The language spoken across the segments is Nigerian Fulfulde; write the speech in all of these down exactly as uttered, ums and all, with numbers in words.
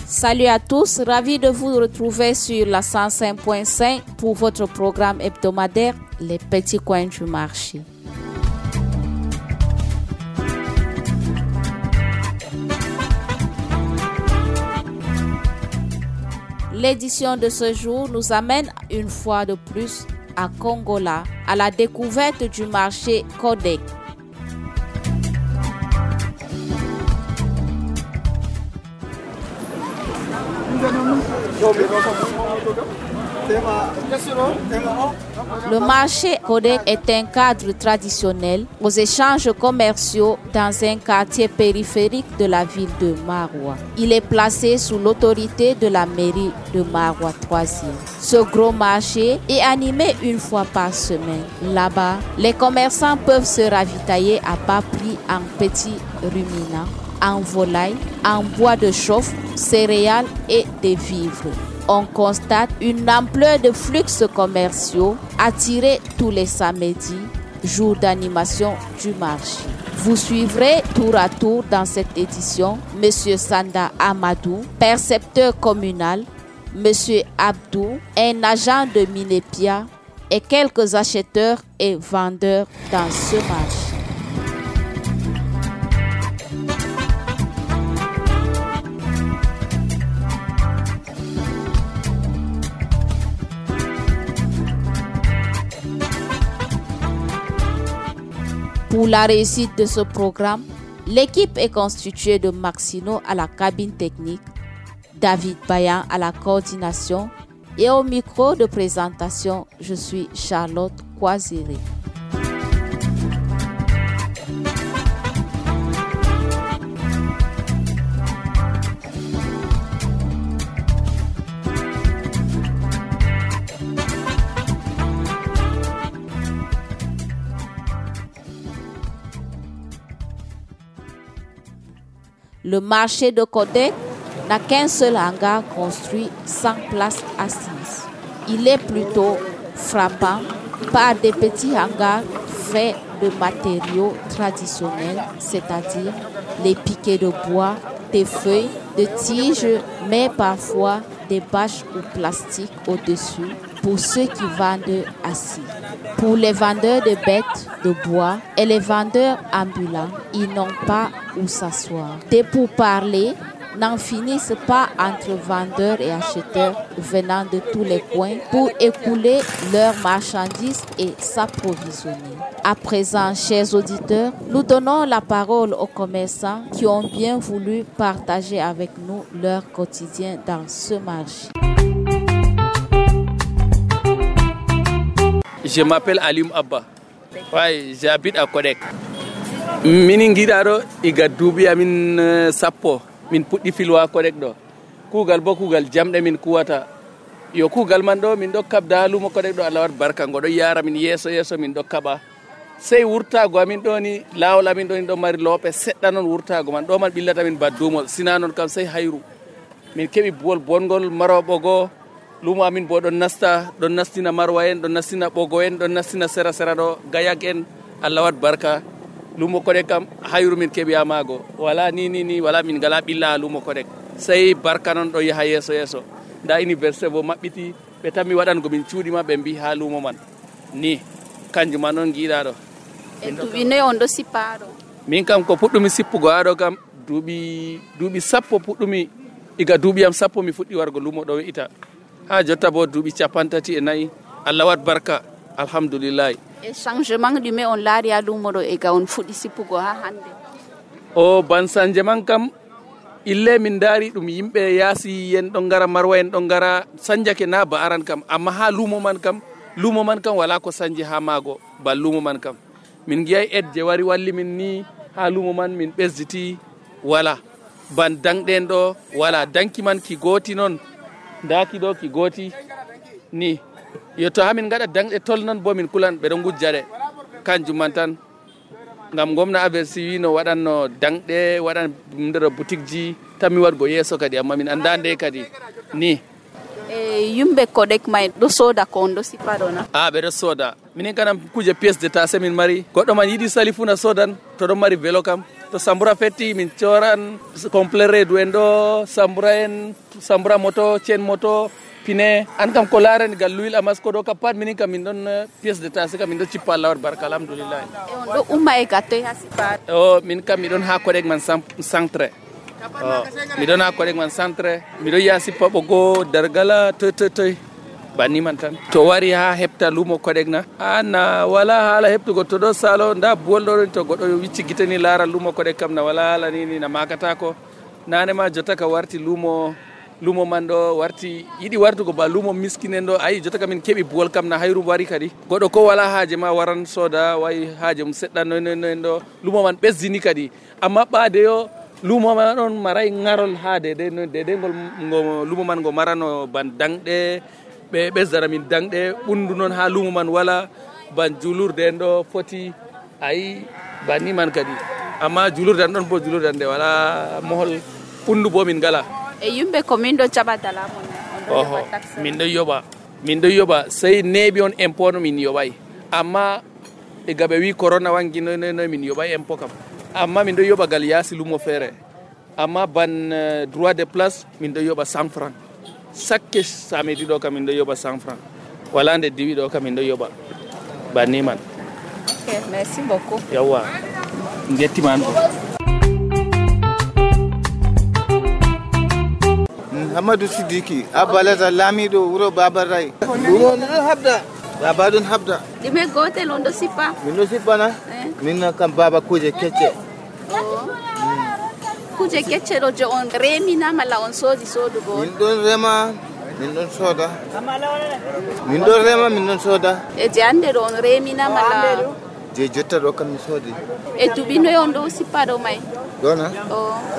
Salut à tous, ravi de vous retrouver sur la cent cinq point cinq pour votre programme hebdomadaire Les Petits Coins du Marché. L'édition de ce jour nous amène une fois de plus à Kongola, à la découverte du marché Codec. Le marché Codec est un cadre traditionnel aux échanges commerciaux dans un quartier périphérique de la ville de Maroua. Il est placé sous l'autorité de la mairie de Maroua troisième. Ce gros marché est animé une fois par semaine. Là-bas, les commerçants peuvent se ravitailler à bas prix en petits ruminants, en volaille, en bois de chauffe, céréales et des vivres. On constate une ampleur de flux commerciaux attirés tous les samedis, jour d'animation du marché. Vous suivrez tour à tour dans cette édition M. Sanda Amadou, percepteur communal, M. Abdou, un agent de Minepia et quelques acheteurs et vendeurs dans ce marché. Pour la réussite de ce programme, l'équipe est constituée de Maxino à la cabine technique, David Bayan à la coordination et au micro de présentation, je suis Charlotte Kwaziri. Le marché de Codec n'a qu'un seul hangar construit sans place assise. Il est plutôt frappant par des petits hangars faits de matériaux traditionnels, c'est-à-dire les piquets de bois, des feuilles, de tiges, mais parfois des bâches ou plastiques au-dessus pour ceux qui vendent assis. Pour les vendeurs de bêtes de bois et les vendeurs ambulants, ils n'ont pas où s'asseoir. Des pourparlers n'en finissent pas entre vendeurs et acheteurs venant de tous les coins pour écouler leurs marchandises et s'approvisionner. À présent, chers auditeurs, nous donnons la parole aux commerçants qui ont bien voulu partager avec nous leur quotidien dans ce marché. Je m'appelle Alim Abba. Ouais, j'habite à Codec. Mini ngidaro iga dubi amin sappo min puddi filwa Codec do. Kugal bo kugal jamde min kuwata. Yo kugal man do min do kabda lumo Codec do Allah wat barka ngodo yara min yeso yeso min do kaba. Sey wurtago amin do ni lawla min do ni do mari lope sedda non wurtago man do man billata min baddumo sinanon kam sey hayru. Min kebi bol bongol marobo go lumo amin bo don nasta don nastina marwa en don nastina bogo en don nastina sera sera do gayak en Allah wat barka lumo Codec kam hayru min kebi amago wala ni ni ni wala min gala billa lumo Codec sey barka non do yaha yeso yeso da université bo mabbiti be tammi wadan go min ciudi ma be mbi ha lumo man ni kanjuma non giida do en dubi ne on do sipado min kam ko puddumi sippugo ado kam dubi dubi sappo puddumi iga dubi am sappo mi fuddi wargo lumo do ita ha jotta bo duuɓi capantati e nayi Allah wat barka alhamdulillah. E changement ɗume on laari ha lumo ɗo e ga on fuɗɗi sippugo ha hande? O ban changement kam ille min daari ɗum yimɓe yaasi en ɗon ngara marwa en ɗon ngara sanjake na ba aran kam amma ha lumo man kam lumo man kam wala ko sanji ha maago ba lumo man kam min giyay ed je wari walli min ni ha lumo man min ɓesditi wala ban dangɗen ɗo wala danki man ki gooti noon daki do ki goti ni yo to hamin gada dangde tol non bo min kulan be do gujjade kanjum man tan ngam gomna aversi wino wadanno dangde wadan ndero boutique ji tammi wadgo yeso kadi amma min andande kadi ni e yumbe Codec may do soda ko do sipado na ah be do soda min kanam kuje pièce d'état semin mari goddo man yidi salifuna sodan to do mari vélo kam to to sambura fetti min coran complet redu en ɗo sambura en sambura moto cen moto pine an kam ko larani gal l'huile amasco ɗo kam pat minin kam min ɗon pièce de tasse kam min ɗon cippa Allah waɗi barka alhamdulillah. E on ɗo umma e gattoy ha sipare? O min kam miɗon ha koɗek man centre miɗon ha koɗek man centre miɗon ya sippa ɓogo dargala toy toy toy banni man tan to wari ha hepta lumo koɗek na anna wala haala heptugo to ɗo salo nda buwol ɗo to goɗɗo wicci gite ni laara lumo koɗek kam na wala haala nini na makata ko nane ma jotta ka warti lumo lumo man ɗo warti yiɗi wartugo ba lumo miskinen ɗo ayi jotta ka min keɓi buwol kam na hayru wari kadi goɗɗo ko wala haaje ma waran soda wayi haaje mum seɗɗa noynoynoyen ɗo lumo man ɓesdini kadi amma ɓaade yo lumo man ɗon maray ŋarol ha dede dede ngol ngo lumo man ngo marano ban danɗe ɓe ɓesdana min danɗe ɓundu noon ha lumo man wala ban julurde en ɗo foti ayi banni man kadi amma julurde an ɗon bo julurde an nde wala mohol ɓundu bo min ngala. E yimɓe ko min ɗo jaɓata laamu oho min ɗo yoɓa min ɗo yoɓa sey neeɓi on impôt no min yoɓay amma e gaɓe wi corona wangi noy noy noy min yoɓay impôt kam amma min ɗo yoɓa gal yaasi lumo feere amma ban uh, droit de place min ɗo yoɓa cent franc chaque samedi ɗo kam min ɗo yoɓa cent franc wala nde diwi ɗo kam min ɗo yoɓa banni man. Ok, merci beaucoup. Yawwa jettiman ko. Amadou Sidiki Abalaza Lamido wuro Babaray ɗum ɗon habda baba ɗon habda ɗume gotel on ɗo sippa min ɗo sippana min kam baba kuje kecce kuje kecce ɗo je on remina malla on soodi sodugo min ɗon rema min ɗon soda min ɗon rema min ɗon soda e je hande ɗo on remina malla je jotta ɗo kam mi soodi e duɓi noy on ɗo sippa ɗo may ɗona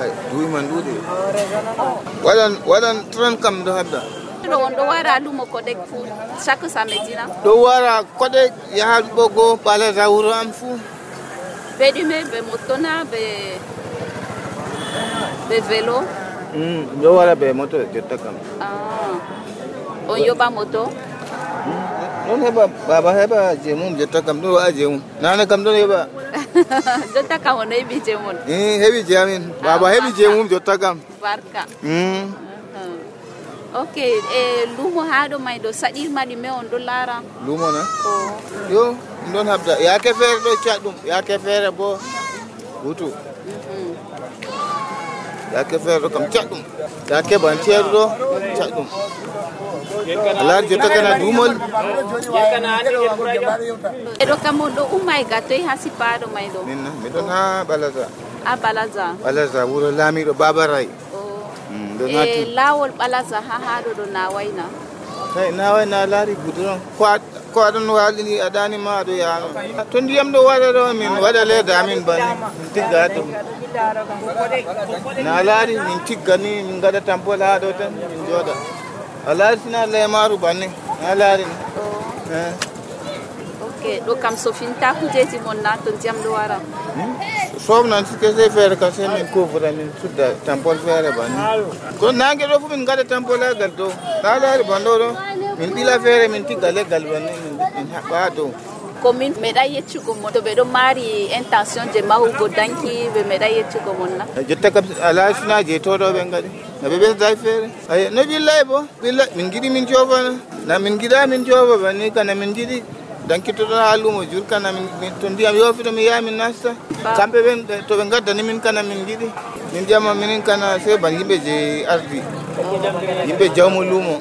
ay duwi man ɗuuɗi waɗan waɗan tran kam ɗo habda ɗo on ɗo wara lumo koɗek fuu chaque samedi na ɗo wara koɗek yaha ɓogo ɓalaza wuro am fuu ɓe ɗume ɓe moto na ɓe ɓe vélo ɗo wara ɓe moto jotta kam on yoɓa moto ɗon heɓa baba heɓa je mum jotta kam ɗon waɗa je mum nane kam ɗon heɓa jotta kam ono heɓi je mon heɓi je amin baba heɓi je mum jotta kam barka ok e lumo ha ɗo may ɗo saɗirma ɗume on ɗo laara lumo na yo ɗum ɗon habda yake feere ɗo caɗɗum yake feere bo hutu yake feere ɗo kam caɗɗum yake ban ceeru ɗo caɗɗum alaar jotta kana duumol eɗo kam on ɗo umma e gattoy ha sippaɗo may ɗo minna miɗon ha balaza ha balaza balaza wuro laamiɗo babaray e laawol balaza ha haɗo ɗo nawayna kay naway na laari goudron ko aɗon walini aɗanima aɗo yano to ndiyam ɗo waɗa ɗo min waɗa leyda amin banni min tigga ɗum na laari min tigga ni min gaɗa tampol ha ɗo tan min jooɗa a laari sina leymaru banni na laari ni ok ɗo kam sofinta kujeji mon na to ndiyam ɗo wara sobnan sike sey feere kam sey min couvre min sudda tampol feere banni ko nangue ɗo fof min gaɗa tampol ha gal dow na laari ban ɗo ɗo min ɓila feere min tigga leggal banni min haɓɓa ha dow commune meeɗa yeccugo mon to ɓe ɗo mari intention je mahugo danki ɓe meeɗa yeccugo mon na jotta kam ala sina je toɗo ɓe gaɗi no ɓe ɓesday feere ay no ɓillay bo ɓilla min giɗi min cofana na min giɗa min cofa banni kana min jiɗi dankitoɗo ha lumo jur kana min to ndiyam yofiɗo mi yaha min nasta kamɓe ɓen to ɓe gaddani min kana min giɗi min ƴama minin kana sey ban yimɓe je ardi yimɓe jawmo lumo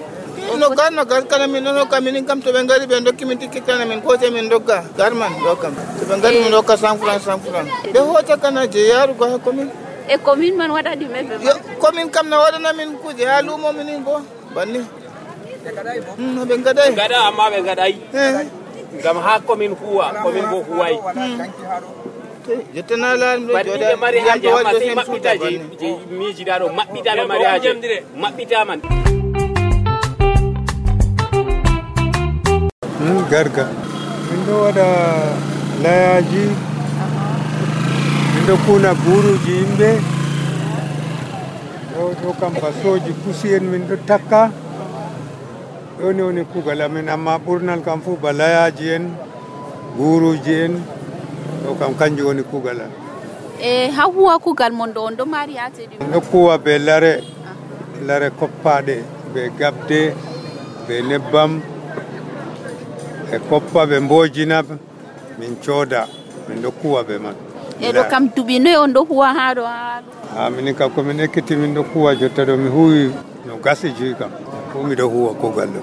no gar no gar kana min ɗon hokka minin kam to ɓe gari ɓe dokki min tikki kana min koce min dogga garman ɗo kam to ɓe gari min hokka cent franc cent franc ɓe hoca kana je yarugo ha commune e commune man waɗa ɗume ɓe commune kam no waɗana min kuje ha lumo minin bo banni ɓe gaɗay gaɗa amma ɓe gaɗay ngam ha commune huwa commune bo huway jettana laari ɗo joɗa mari haje amma sey maɓɓita je je miijiɗa ɗo maɓɓita ɗo mari haje maɓɓita man garga min ɗo waɗa layaji min ɗo kuna buruji yimɓe ɗo ɗo kam basoji pusi en min ɗo takka ɗoni woni kugal amin amma ɓurnal kam fof ba layaji en buruji en ɗo kam kanjum woni kugal am e ha huwa kugal mon do on do mari haaje ɗum no kuwa be lare lare koppaɗe be gabde be nebbam e koppa be mbojina min cooda min do kuwa be man e do kam dubi noy on do huwa ha do ha ha min ka ko min ekkiti min do kuwa jotta do mi huwi no gasi ji kam ko mi do huwa kugal do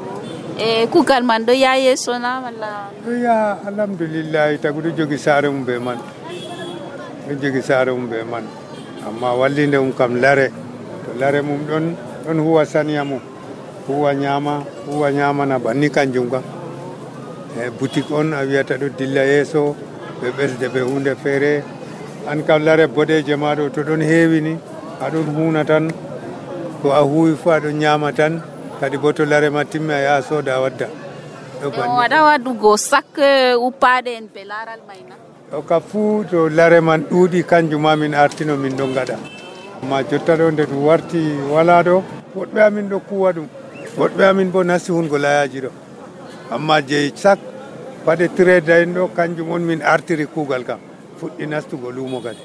e kugal man do ya yeso na walla do ya alhamdulillah tagudo jogi sare mum be man do jogi sare mum be man amma wallinde um kam lare to lare mum don don huwa saniya mum huwa nyama huwa nyama na banni kanjum kam e boutique on a wiyata do dilla yeso be belde be hunde fere an kam lare bodeje ma do to don heewi ni adon huna tan ko a huwi fu adon nyama tan kadi boto lare ma timma ya soda wadda do banni wada wadugo sak upade en be laral mayna o ka fu to lare man dudi kanjuma min artino min do ngada ma jotta do nde du warti wala do wodbe amin do kuwa dum wodbe amin bo nasti hungo layaji do amma je sak pade trade en do kanjum on min artiri kugal kam fuddi nastugo lumo kadi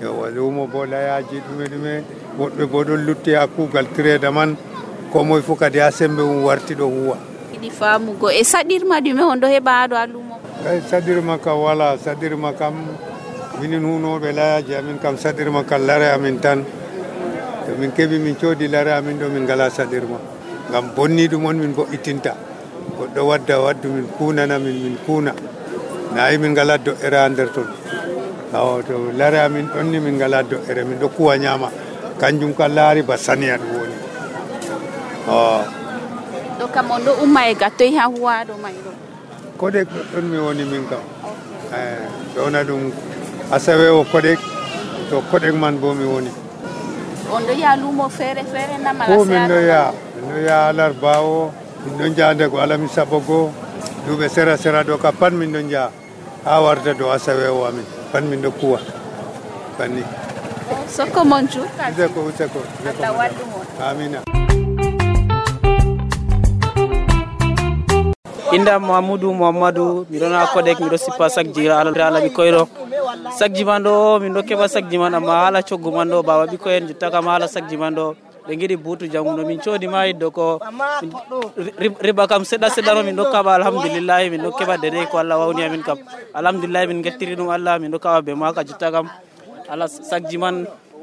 yo lumo bo layaji dume dume wodbe bo do lutti ha kugal trade man ko moy fu kadi ha sembe um warti do huwa idi famugo e sadirma dume on do heba do lumo e sadirma ka wala sadirma kam minin huno be layaji amin kam sadirma kal lare amin tan to min kebi min codi lare amin do min gala sadirma ngam bonni dum on min bo itinta goddo wadda waddu min kunana min min kuna nayi min gala do era nder ton taw to lare amin don ni min gala do ere min do kuwa nyama kanjum ka laari ba saniya do woni oh do kam on do umma e gattoy ha huwa do may do kodek don mi woni min kam eh dona dum asawe o kodek to kodek man bo mi woni on do ya lumo fere fere na mala ko min do ya min do ya alar bawo min do jande ko alami sabogo dube sera sera do ka pan min do ja ha warta do asawe o amin pan min do kuwa panni soko monju zeko zeko zeko amina inda Mamadou Mamadou mi dona kodek mi do sipa sakji ala ala bi koyro sakji mando mi do keba sakji man amma hala coggu mando baba bi koyen jutta kam hala sakji mando be ngidi butu janguno min codi mai do ko riba kam seda seda no min do kaba alhamdulillah min do keba dede ko Allah wawni amin kam alhamdulillah min gettiri dum Allah min do kaba be maka jutta kam ala sakji man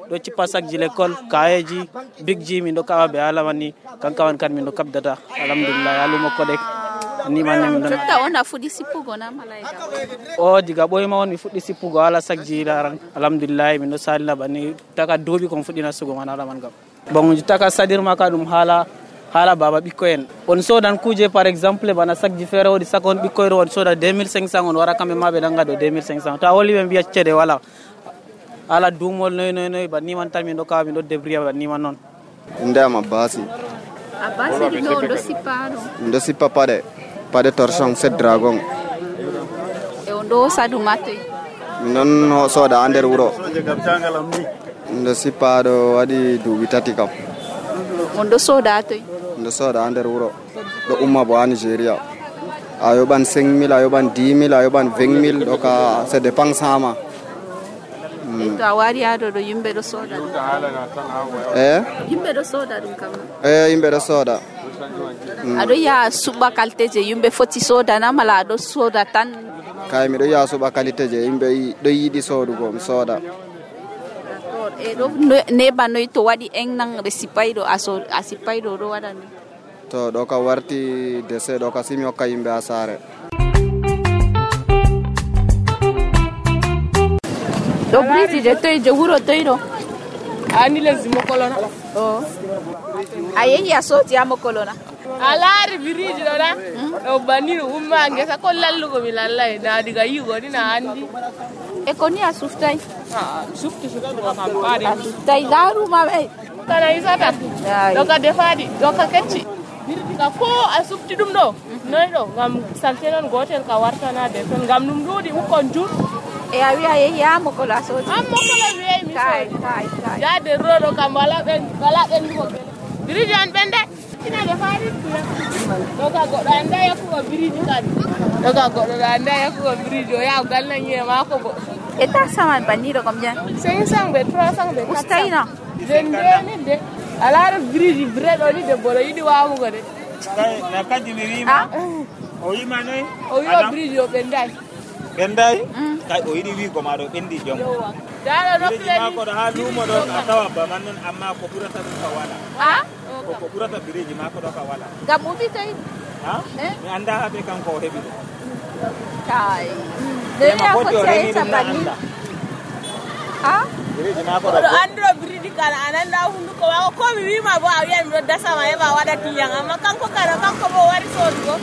do cipa sakji l'école kayeji bigji min do kaba be ala wani kankawan kan min do kabdata alhamdulillah aluma kodek ni manne min don jotta ona fudi sippugo na malaika o diga boy ma on mi fuddi sippugo ala sakji laran alhamdulillah min do salina bani taka dobi ko fuddi nasugo man ala man gam bon taka sadir maka dum hala hala baba bikko en on sodan kuje par exemple bana sakji fere wodi sakon bikko on soda deux mille cinq cents on wara kambe mabe danga do deux mille cinq cents ta woli be biya cede wala ala dumol noy noy noy bani man tan min do ka min do debriya bani man non ndama basi abasi di no do siparo ndo sipa pade pade torsion set dragon e on do sadu mate non no soda ander wuro ndo sipado wadi dubi tati kam on do soda to ndo soda ander wuro do umma bo Nigeria ayo ban cinq mille ayo ban dix mille ayo ban vingt mille do ka se dépense sama to awari ado do yimbe do soda eh yimbe do soda dum kam eh yimbe do soda ado ya suba qualité je yimbe foti soda na mala do soda tan kay mi do ya suba qualité je yimbe do yidi sodugo mi soda e do ne banoy to wadi en nan resipaydo aso asipaydo do wadani to do ka warti dese do ka simi o ka yimbe asare do briti de toy je wuro toydo ani lazimo kolona oh ayen ya soti amo kolona alari biriji do na do baniro umma ngesa ko lallugo mi lallai na diga yugo ni na andi e koni asuftai ah sufti sufti ko kam pare asuftai daru mabe kana isata do ka defadi do ka kecci biriji ka ko asufti dum do noy do ngam saltenon gotel ka wartana de ton ngam num dudi ukon jur e awi aye ya mo ko la so am mo ko la wi mi kai kai kai ya de rodo kam wala ben wala ben ko biriji an bende ina da fari to ka goɗɗo anda yakkugo biriji kadi to ka goɗɗo anda yakkugo biriji o yaha gallanyiye maako bo et ta saman banni de combien? cinq cents be trois cents be quatre cents Ustaina vingt-deux mille de alaara biriji vrai ɗo ni debbo ɗo yiɗi wamugo de na kadi mi wiima o wiima noy o wiwa biriji o ɓenday ɓenday kay o yiɗi wiigo ma ɗo ɓendi jom daɗo biriji mako ɗo ha luumo ɗo a tawa baman noon amma ko ɓurata ɗum ka wala ko ɓurata biriji mako ɗo ka wala ngam ubi kay mi anda habe kanko o heɓi ɗum kay dema foti o remi ɗum na anda ha biriji mako ɗo andiro biriji kala ananda hunduko mako ko mi wima bo a wiyan miɗo dasama heɓa waɗa tiyan amma kanko kala kanko bo wari sodugo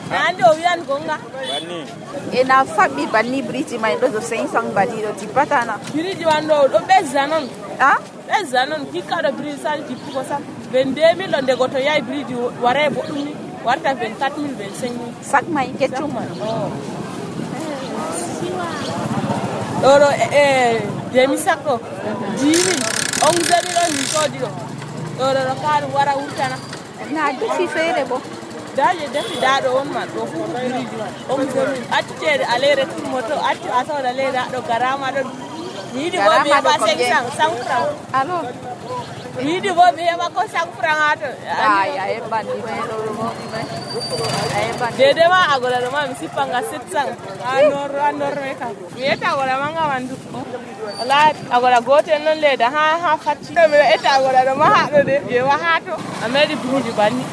mi andi o wiyan gonga banni ena faɓɓi banni biriji may ɗo do cinq cents bali ɗo tippatana biriji wan ɗo ɗo ɓesda noon ɓesda noon hikka ɗo biriji sali tippugo sam vingt-deux mille ɗo ndego to yahi biriji waray boɗɗum ni warta vingt-quatre mille vingt-cinq mille sac may keccum ɗo ɗo e demi sac ɗo dix mille onze mille on min soodi ɗo ɗo ɗo ɗo ka ɗum wara wurtana na defi feere bo daje defi daɗo on man ɗo fu biriji man onze mille acci ceede alere tur moto acci a sawda leyda ɗo garama ɗo mi yiɗi bo mi heɓa cinq cents cent franc alors mi yiɗi bo mi heɓa ko cent franc ha to ay a heɓɓanɗi may ɗo ɗo momi may a heɓɓanɗi dede ma agola ɗo ma mi sippanga sept cents ha nor ha norme kam mi yetta agola manga man du wala agola gotel noon leyda ha ha facci miɗo etta agola ɗo ma haɗo de ƴeewa ha to a meɗi biriji banni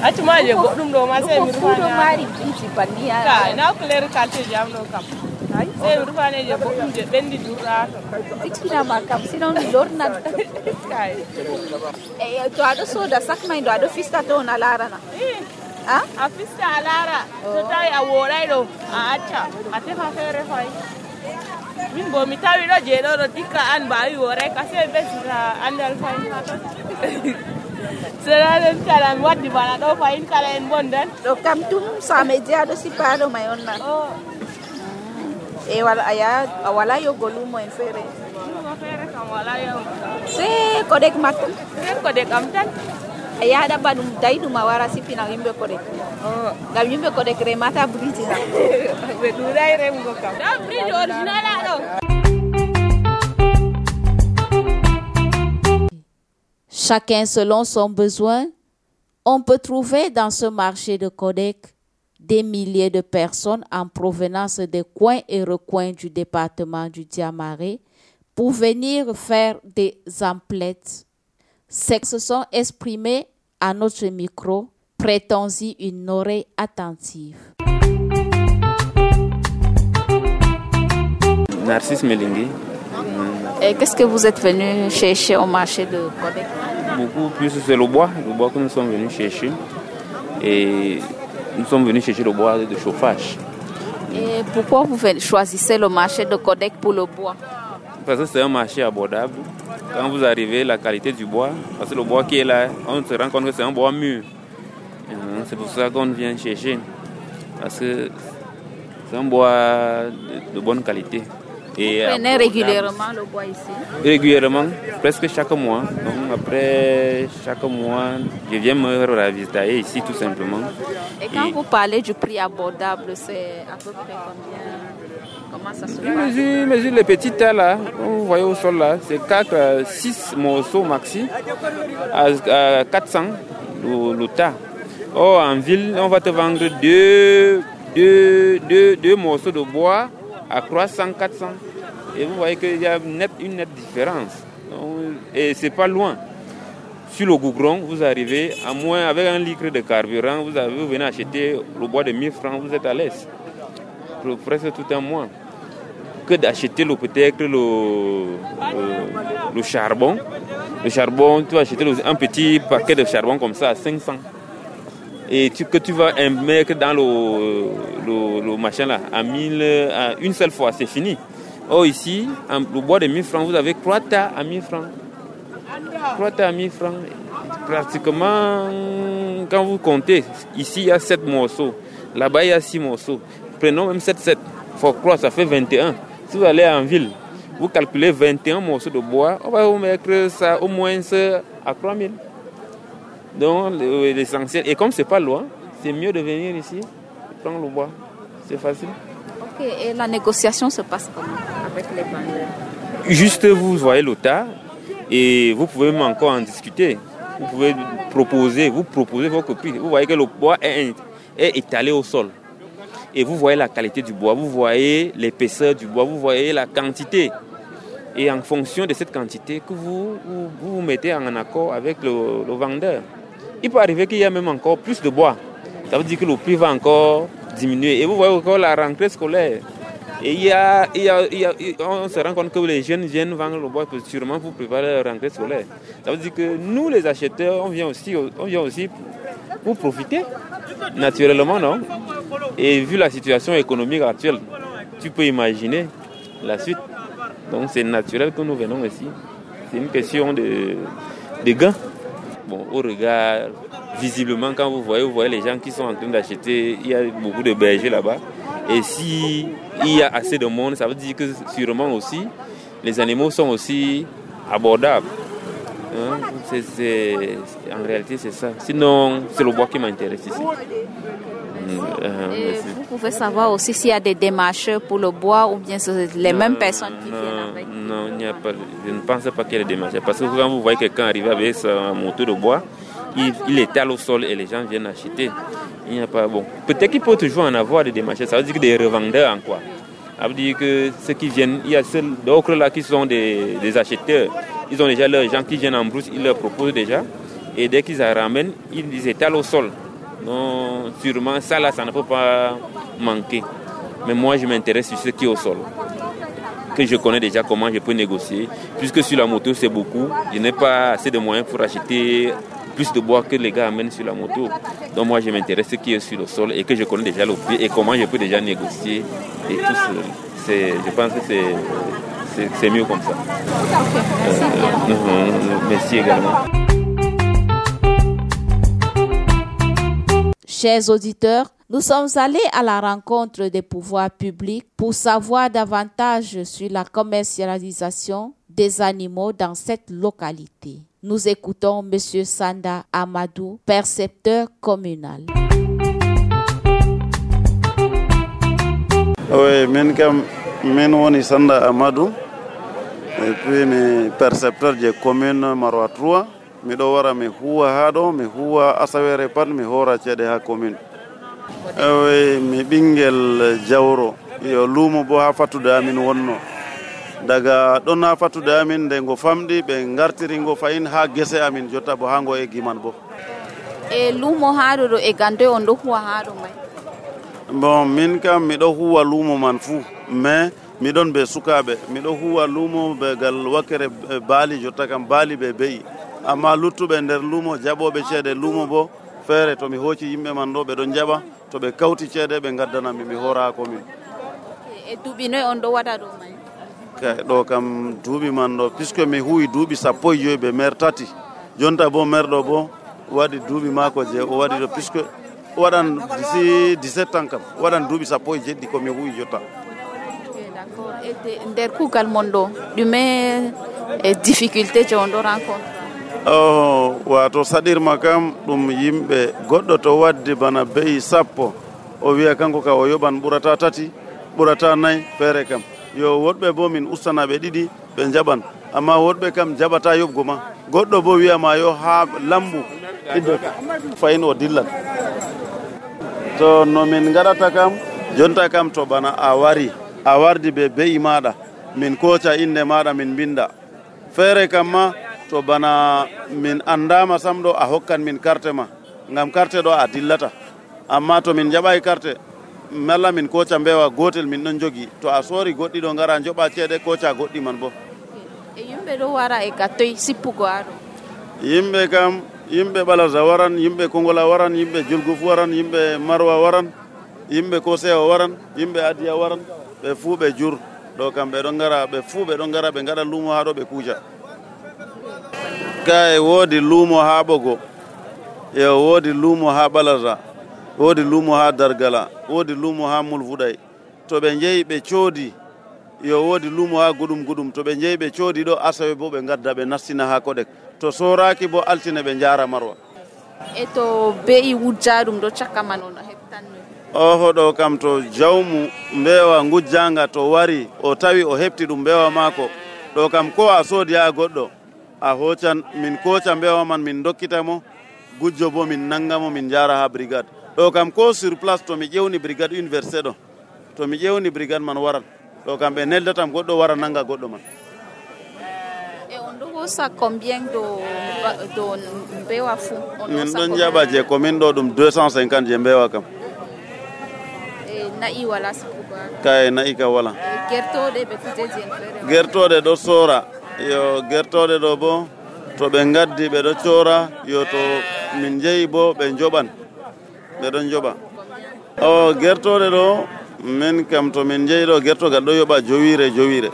acci ma je goɗɗum ɗo ma sey mi rufaɗo mari biriji banni ka na couleur qualité jam ɗo kam sey mi rufane je goɗɗum je ɓendi durɗa to ticcinama kam sinon mi lornan kay e to aɗo soda sac may ɗo aɗo fista to on a larana a fista a lara to tawi a woɗay ɗo a acca a tefa feere fay min bo mi tawi ɗo je ɗo ɗo dikka an mbawi woray ka sey ɓesita andal fay ha ton seɗaɗen kala mi waddi bana ɗo fayin kala en bondan ɗo kam tum sameje aɗo sippa ɗo may on nan e wala aya a wala yogo lumo en feere lumo feere kam wala yaw se kodek makko se kodek am tan a yaha ɗaɓɓa ɗum dayi ɗum a wara sippina yimɓe kodek ngam yimɓe kodek remata biriji na ɓe ɗuɗay remgo kam ɗa biriji original aɗo. Chacun selon son besoin, on peut trouver dans ce marché de Codec des milliers de personnes en provenance des coins et recoins du département du Diamaré pour venir faire des emplettes. Ces se sont exprimés à notre micro. Prêtons-y une oreille attentive. Narcisse Melingui. Et qu'est-ce que vous êtes venu chercher au marché de Codec? Beaucoup plus, c'est le bois, le bois que nous sommes venus chercher. Et nous sommes venus chercher le bois de chauffage. Et pourquoi vous choisissez le marché de Codec pour le bois? Parce que c'est un marché abordable. Quand vous arrivez, la qualité du bois, parce que le bois qui est là, on se rend compte que c'est un bois mûr. C'est pour ça qu'on vient chercher. Parce que c'est un bois de, de bonne qualité. Et vous prenez régulièrement le bois ici? Régulièrement, presque chaque mois. Donc après chaque mois, je viens me ravitailler ici tout simplement. Et quand Et vous parlez du prix abordable, c'est à peu près combien? Comment ça se passe? Je mesure, mesure les petits tas là, vous voyez au sol là, c'est quatre, six morceaux maxi à, à quatre cents le, le tas. Or en ville, on va te vendre deux, deux, deux, deux morceaux de bois à trois cents, quatre cents. Et vous voyez qu'il y a une nette, une nette différence. Et c'est pas loin. Sur le goudron, vous arrivez, à moins avec un litre de carburant, vous, avez, vous venez acheter le bois de mille francs, vous êtes à l'aise. Pour presque tout un mois. Que d'acheter le, peut-être le, le, le charbon. Le charbon, tu vas acheter un petit paquet de charbon comme ça à cinq cents. Et tu, que tu vas mettre dans le, le, le machin là, à mille, à une seule fois, c'est fini. Or ici, le bois de mille francs, vous avez trois tas à mille francs. Trois tas à mille francs. Pratiquement, quand vous comptez, ici il y a sept morceaux. Là-bas il y a six morceaux. Prenons même sept, sept. Il faut croire, ça fait vingt et un. Si vous allez en ville, vous calculez vingt et un morceaux de bois, on va vous mettre ça au moins à trois mille. Donc l'essentiel, et comme c'est pas loin, c'est mieux de venir ici, prendre le bois, c'est facile. Ok, et la négociation se passe comment avec les vendeurs? Juste vous voyez le tas et vous pouvez même encore en discuter. Vous pouvez proposer, vous proposez vos prix. Vous voyez que le bois est, est étalé au sol. Et vous voyez la qualité du bois, vous voyez l'épaisseur du bois, vous voyez la quantité. Et en fonction de cette quantité que vous vous, vous mettez en accord avec le, le vendeur. Il peut arriver qu'il y a même encore plus de bois. Ça veut dire que le prix va encore diminuer. Et vous voyez encore la rentrée scolaire. Et il y a, il y a, il y a, on se rend compte que les jeunes viennent vendre le bois sûrement pour préparer la rentrée scolaire. Ça veut dire que nous, les acheteurs, on vient aussi, on vient aussi pour profiter, naturellement, non? Et vu la situation économique actuelle, tu peux imaginer la suite. Donc c'est naturel que nous venons ici. C'est une question de, de gain. Bon, au regard, visiblement, quand vous voyez, vous voyez les gens qui sont en train d'acheter, il y a beaucoup de bergers là-bas. Et si il y a assez de monde, ça veut dire que sûrement aussi, les animaux sont aussi abordables. Hein? C'est, c'est, en réalité, c'est ça. Sinon, c'est le bois qui m'intéresse ici. Euh, Et vous pouvez savoir aussi s'il y a des démarcheurs pour le bois ou bien c'est les non, mêmes personnes qui non, viennent avec. Non, il n'y a pas. Je ne pense pas qu'il y ait des démarcheurs. Parce que quand vous voyez quelqu'un arriver avec sa moto de bois, il, il étale au sol et les gens viennent acheter. Il n'y a pas. Bon, peut-être qu'il peut toujours en avoir des démarcheurs. Ça veut dire que des revendeurs en quoi. Ça veut dire que ceux qui viennent, il y a ceux d'autres là qui sont des, des acheteurs. Ils ont déjà leurs gens qui viennent en brousse, ils leur proposent déjà. Et dès qu'ils en ramènent, ils les étalent au sol. Non, sûrement, ça là, ça ne peut pas manquer. Mais moi, je m'intéresse sur ce qui est au sol. Que je connais déjà comment je peux négocier. Puisque sur la moto, c'est beaucoup. Je n'ai pas assez de moyens pour acheter plus de bois que les gars amènent sur la moto. Donc moi, je m'intéresse à ce qui est sur le sol et que je connais déjà le prix et comment je peux déjà négocier. Et tout ça, c'est, je pense que c'est, c'est, c'est mieux comme ça. Okay, merci, euh, merci également. Chers auditeurs, nous sommes allés à la rencontre des pouvoirs publics pour savoir davantage sur la commercialisation des animaux dans cette localité. Nous écoutons M. Sanda Amadou, percepteur communal. Oui, je suis Sanda Amadou et puis je suis percepteur de la commune Maroua trois. Mi ɗo wara mi huwa haa ɗo mi huwa asawere pat mi hora ceeɗe haa commune ewe mi ɓinngel jawro yo luumo bo haa fattude amin wonno daga ɗon haa fattude amin nde ngo famɗi ɓe ngartiri ngo fayin haa gese amin jotta bo haa ngo eggi man bo e luumo haa ɗo ɗo e gande on ɗo huwa haa ɗo may bon min kam miɗo huwa luumo man fuu mais miɗon ɓe sukaaɓe miɗo huwa luumo ɓe gal wakkere baali jotta kam baali ɓe beyi amma luttuɓe nder luumo jaɓoɓe ceede luumo bo feere to mi hooci yimɓe man ɗo ɓe ɗon jaɓa to ɓe kawti ceede ɓe gaddanami mi hora komin e duuɓi noy on ɗo waɗa ɗo may kay ɗo kam duuɓi man ɗo puisque mi huwi duuɓi sappo e joyi ɓe maire tati jonta bo maire ɗo bo waɗi duuɓi maako je o waɗi ɗo puisque waɗan d'ici dix-sept ans kam waɗan duuɓi sappo e jeɗɗi komi huwi jotta d'accord e nder kuugal mon ɗo ɗume e difficulté je on ɗo rencontre Oh, wato saɗirma kam ɗum yimɓe goɗɗo to waddi bana beyi sappo o wiya kanko ka o yoɓan ɓurata tati ɓurata nayyi feere kam yo woɗɓe bo min ustanaɓe ɗiɗi ɓe jaɓan amma woɗɓe kam jaɓata yoɓgo ma goɗɗo bo wiyama yo ha lambu iddota fayin o dillan to no min gaɗata kam jonta kam to bana a wari a wardi ɓe beyi maɗa min koca inde maɗa min binda feere kam ma to bana min andama sam ɗo a hokkan min carte ma ngam carte ɗo a dillata amma to min jaɓai carte malla min koca mbewa gotel min ɗon jogi to a soori goɗɗi ɗo ngara joɓa ceeɗe koca goɗɗi man bo e yimɓe ɗo wara e gattoy sippugo aɗo yimɓe kam yimɓe ɓalaza waran yimɓe kongola waran yimɓe julguf waran yimɓe marwa waran yimɓe kosewa waran yimɓe adiya waran ɓe fuu ɓe jur ɗo kam ɓe ɗon ngara ɓe fuu ɓe ɗon ngara ɓe gaɗa luumo ha ɗo ɓe kuuja kay woodi luumo ha ɓogo e woodi luumo ha ɓalaza woodi luumo ha dargala woodi luumo ha mulfuɗay to ɓe jeeyi ɓe coodi yo woodi luumo ha guɗum guɗum to ɓe jeeyi ɓe coodi ɗo asawe bo ɓe gadda ɓe nastina ha koɗek to soraki bo altine ɓe jaara marwa e to be'i wujjaɗum ɗo caka man on heɓtanno oho ɗo kam to jawmu mbewa ngujjanga to wari o tawi o heɓti ɗum mbewa maako ɗo kam ko a soodi ha goɗɗo a hocan min koca mbewa man min dokkitamo gujjo bo min nangamo min jara ha brigade ɗo kam ko sur place to mi ƴewni brigade université ɗo to mi ƴewni brigade man waran ɗo kam ɓe neldatam goɗɗo wara nanga goɗɗo man. e on ɗo hosa combien do do mbewa fu min ɗon jaɓa je commune ɗo ɗum deux cent cinquante je mbewa kam. e na'i wala sipugo kay na'i ka wala gertoɗe ɓe kujeji en fere gertoɗe ɗo sora yo gertoɗe ɗo bo to ɓe gaddi ɓe ɗo cora yo to min jeeyi bo ɓe joɓan ɓe ɗon joɓa o gertoɗe ɗo min kam to min jeeyi ɗo gertogal ɗo yoɓa jowire jowire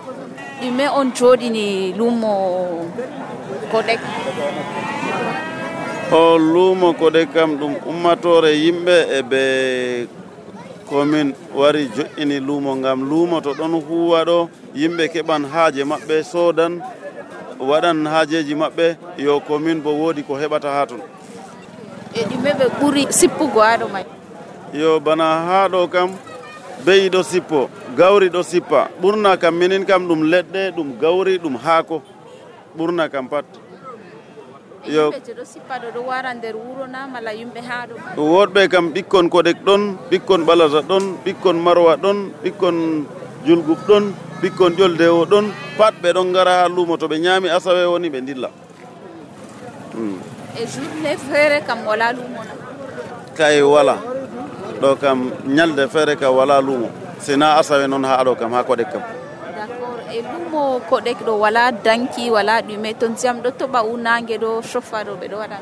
ɗume on joɗini lumo Kodek o lumo Kodek kam ɗum ummatore yimɓe e ɓe commune wari joƴƴini lumo ngam lumo to ɗon huwa ɗo yimɓe keɓan haaje maɓɓe sodan waɗan haajeji maɓɓe yo commune bo woodi ko heɓata ha ton e ɗume ɓe ɓuri sippugo ha ɗo may yo bana ha ɗo kam beyi ɗo sippo gawri ɗo sippa ɓurna kam minin kam ɗum leɗɗe ɗum gawri ɗum haako ɓurna kam pat yo yimɓe ɗo sippa ɗo ɗo wara nder wuro na mala yimɓe ha ɗo woɗɓe kam ɓikkon Kodek ɗon ɓikkon Balata ɗon ɓikkon Marwa ɗon ɓikkon Julgub ɗon ɓikkon ƴoldewo ɗon pat ɓe ɗon gara ha lumo to ɓe ñaami asawe woni ɓe dilla e journée feere kam wala lumo na kay wala ɗo kam ñalde feere kam wala lumo sina asawe noon ha ɗo kam ha Kodek kam d'accord e lumo Kodek ɗo wala danki wala ɗume to ndiyam ɗo toɓa unange ɗo chauffa ɗo ɓe ɗo waɗa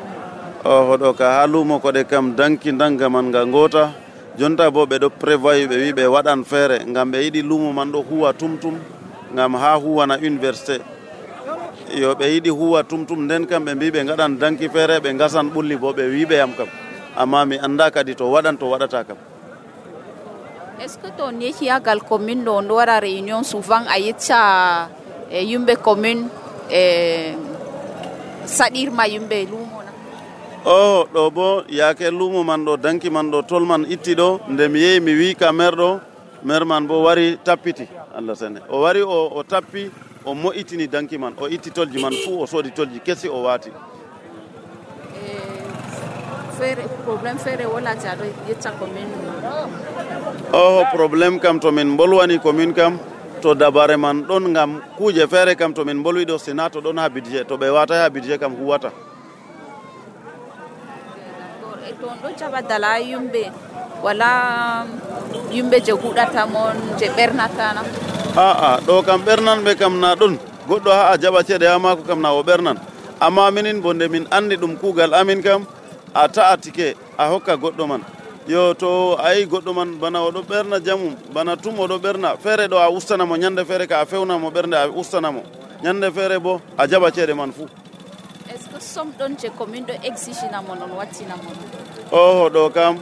oho ɗo ka ha lumo Kodek kam danki danga man nga ngota jonta bo ɓe ɗo prévoyi ɓe wi ɓe waɗan feere ngam ɓe yiɗi lumo man ɗo huwa tumtum ngam ha huwana université yo ɓe yiɗi huwa tumtum nden kam ɓe mbi ɓe gaɗan danki feere ɓe gasan ɓulli bo ɓe wi ɓe yam kam amma mi anda kadi to waɗan to waɗata kam. est ce que to nehiyagal commune ɗo on ɗo waɗa réunion souvent a yecca e yimɓe commune e saɗirma yimɓe lumo na o ɗo bo yaake lumo man ɗo danki man ɗo tol man itti ɗo nde mi yehi mi wi ka maire ɗo maire man bo wari tappiti Allah sene o wari o, o tappi o mo'itini danki man o itti tolji man fuu o soodi tolji kesi o waati feere probléme feere wolati aɗo yecca commune oho probléme kam to min bolwani commune kam to dabare man ɗon ngam kuuje feere kam to min bolwi ɗo sina to ɗon ha budget to ɓe wata ha budget kam huwata e to on ɗo jaɓa dala yumɓe wala yumɓe je huɗata mon je ɓernatana aa ɗo kam ɓernanɓe kam na ɗon goɗɗo ha a jaɓa ceeɗe ha maako kam na o ɓernan amma minin bo nde min andi ɗum kuugal amin kam a ta'a tike a hokka goɗɗo man yo to a yi goɗɗo man bana oɗo ɓerna jamum bana tum oɗo ɓerna feere ɗo a ustanamo ñande feere ka a fewnamo ɓernde a ustanamo ñande feere bo a jaɓa ceeɗe man fuu est ce que somme ɗon je commune ɗo exigina mon on wattina mon oho ɗo kam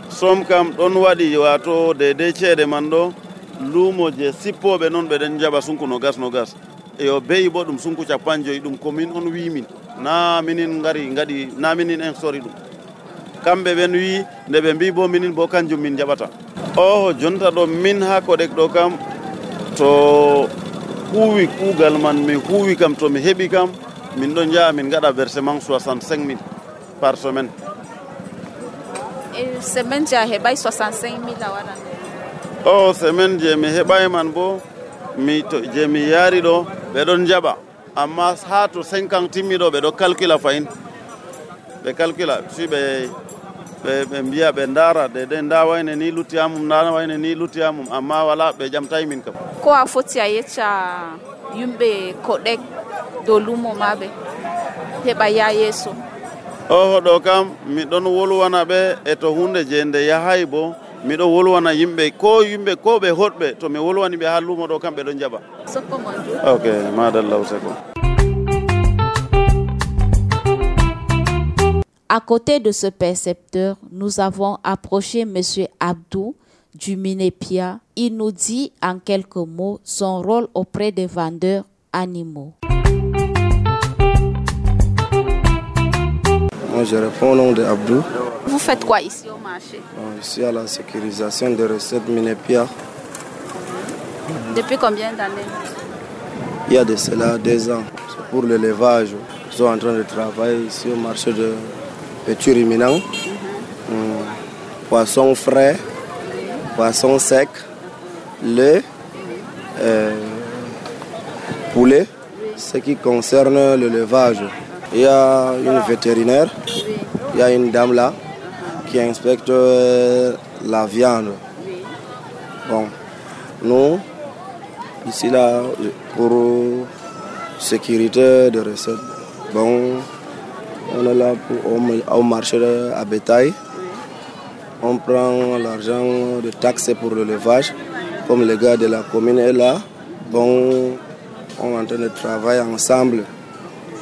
somme kam ɗon waɗi wato dedei ceeɗe man ɗo luumo je sippoɓe noon ɓeɗen jaɓa sunku no gas no gas yo beyi bo ɗum sunku capan joyi ɗum commune on wimin na minin ngari ngaɗi na minin en sori ɗum kamɓe ɓen wi nde ɓe mbi bo minin bo kanjum min jaɓata oho jonta ɗo min ha Kodek ɗo kam to huuwi kuugal man mi huuwi kam to mi heɓi kam min ɗon jaha min gaɗa versement soixante-cinq mille par semaine e semaine je a heɓay soixante-cinq mille a waɗan o semaine je mi heɓay man bo mi to je mi yaari ɗo ɓe ɗon jaɓa amma ha to cinquante timmi ɗo ɓe ɗo calcula fayin ɓe calcula si ɓe ɓe mbiya ɓe ndaara de de nda wayne ni luttiyamum nda wayne ni luttiyamum amma wala ɓe jamtayi min kam ko a foti a yecca yimɓe Kodek dow lumo maɓe heɓa ya yeeso oho ɗo kam miɗon wolwana ɓe e to hunde je nde yahay bo miɗo wolwana yimɓe ko yimɓe ko ɓe hoɗɓe to mi wolwani ɓe ha lumo ɗo kam ɓe ɗon jaɓa ok madallah useko. À côté de ce percepteur, nous avons approché Monsieur Abdou du Minépia. Il nous dit en quelques mots son rôle auprès des vendeurs animaux. Moi, je réponds au nom de Abdou. Vous faites quoi ici au marché? Bon, ici, à la sécurisation des recettes minières. Depuis combien d'années? Il y a de cela deux ans. C'est pour l'élevage. Ils sont en train de travailler ici au marché de Petit-Ruminant. Mm-hmm. Mm. Poisson frais, poisson sec, lait, euh, poulet. Ce qui concerne l'élevage, il y a une vétérinaire, il y a une dame là qui inspecte la viande. Bon, nous, ici là, pour sécurité de recettes, bon, on est là pour, au marché à bétail. On prend l'argent de taxes pour l'élevage, comme les gars de la commune est là. Bon, on est en train de travailler ensemble.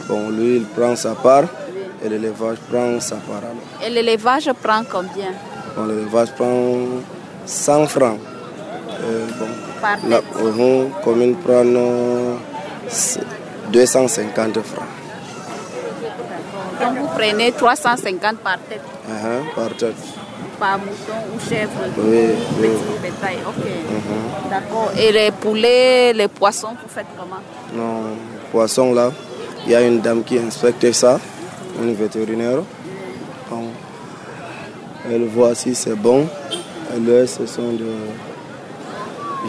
Bon, lui, il prend sa part et l'élevage prend sa part. Alors. Et l'élevage prend combien? Bon, l'élevage prend cent francs. Euh, bon, par tête? La uh, commune prend deux cent cinquante francs. Donc vous prenez trois cent cinquante par tête? Uh-huh, par tête. Par mouton ou chèvre? Oui, oui. Petit bétail, ok. Uh-huh. D'accord. Et les poulets, les poissons, vous faites comment? Non, poissons là, il y a une dame qui inspecte ça, une vétérinaire. Bon, elle voit si c'est bon. Elle, ce sont de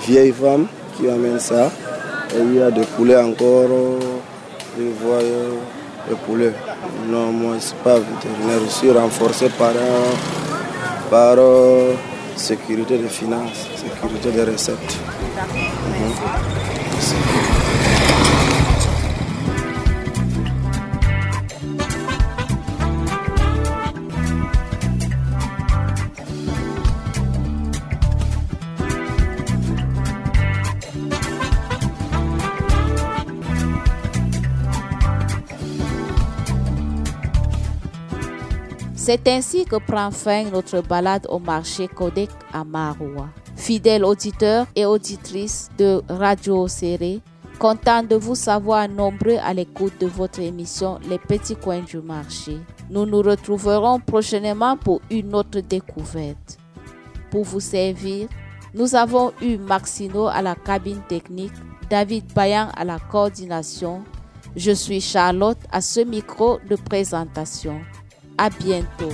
vieilles femmes qui amènent ça. Et il y a des poulets encore. Je vois des poulets. Non, moi je ne suis pas vétérinaire. Je suis renforcé par par euh, sécurité des finances, sécurité des recettes. Mmh. Merci. C'est ainsi que prend fin notre balade au marché Codec à Maroua. Fidèles auditeurs et auditrices de Radio Serré, content de vous savoir nombreux à l'écoute de votre émission Les Petits Coins du Marché. Nous nous retrouverons prochainement pour une autre découverte. Pour vous servir, nous avons eu Maxino à la cabine technique, David Bayan à la coordination. Je suis Charlotte à ce micro de présentation. À bientôt.